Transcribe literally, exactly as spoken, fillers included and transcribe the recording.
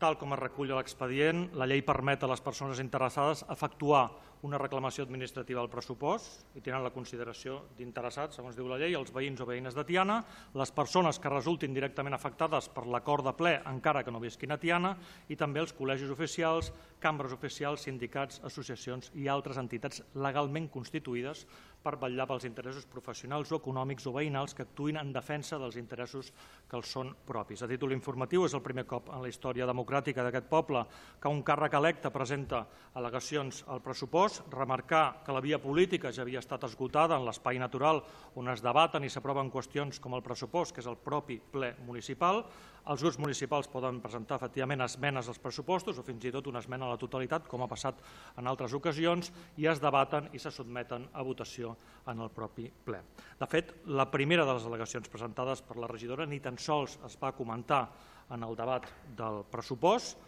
tal com es recull a l'expedient, la llei permet a les persones interessades efectuar una reclamació administrativa al pressupost i tenen la consideració d'interessats, segons diu la llei, els veïns o veïnes de Tiana, les persones que resultin directament afectades per l'acord de ple encara que no visquin a Tiana i també els col·legis oficials, cambres oficials, sindicats, associacions i altres entitats legalment constituïdes per vetllar pels interessos professionals o econòmics o veïnals que actuïn en defensa dels interessos que els són propis. A títol informatiu, és el primer cop en la història democràtica d'aquest poble que un càrrec electe presenta al·legacions al pressupost, remarcar que la via política ja havia estat esgotada en l'espai natural on es debaten i s'aproven qüestions com el pressupost, que és el propi ple municipal. Els grups municipals poden presentar efectivament esmenes als pressupostos o fins i tot una esmena a la totalitat, com ha passat en altres ocasions, i es debaten i se sotmeten a votació en el propi ple. De fet, la primera de les al·legacions presentades per la regidora ni tan sols es va comentar en el debat del pressupost,